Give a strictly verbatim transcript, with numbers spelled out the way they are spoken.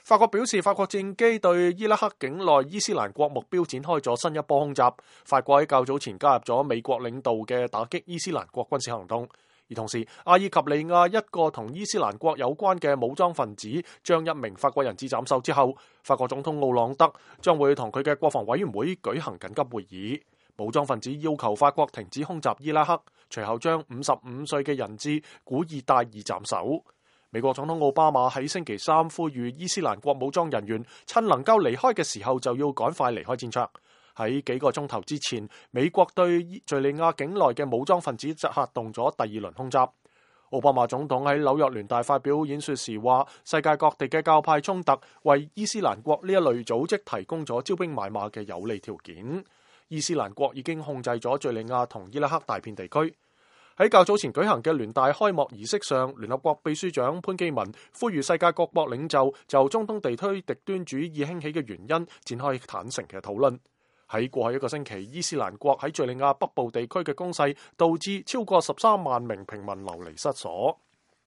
法國表示，法國戰機對伊拉克境內伊斯蘭國目標展開咗新一波空襲。法國喺較早前加入咗美國領導嘅打擊伊斯蘭國軍事行動。而同時，阿爾及利亞一個同伊斯蘭國有關嘅武裝分子將一名法國人質斬首之後，法國總統奧朗德將會同佢嘅國防委員會舉行緊急會議。武裝分子要求法國停止空襲伊拉克，隨後將五十五歲嘅人質古爾戴爾斬首。美國總統奧巴馬喺星期三呼籲伊斯蘭國武裝人員趁能夠離開嘅時候就要趕快離開戰場。喺幾個鐘頭之前，美國對敘利亞境內嘅武裝分子就發動咗第二輪空襲。奧巴馬總統喺紐約聯大發表演說時話，世界各地嘅教派衝突為伊斯蘭國呢一類組織提供咗招兵買馬嘅有利條件。伊斯蘭國已經控制咗敘利亞同伊拉克大片地區。喺較早前舉行嘅聯大開幕儀式上，聯合國秘書長潘基文呼籲世界各國領袖就中東地區極端主義興起嘅原因展開坦誠嘅討論。喺過去一個星期，伊斯蘭國喺敘利亞北部地區嘅攻勢導致超過十三萬名平民流離失所。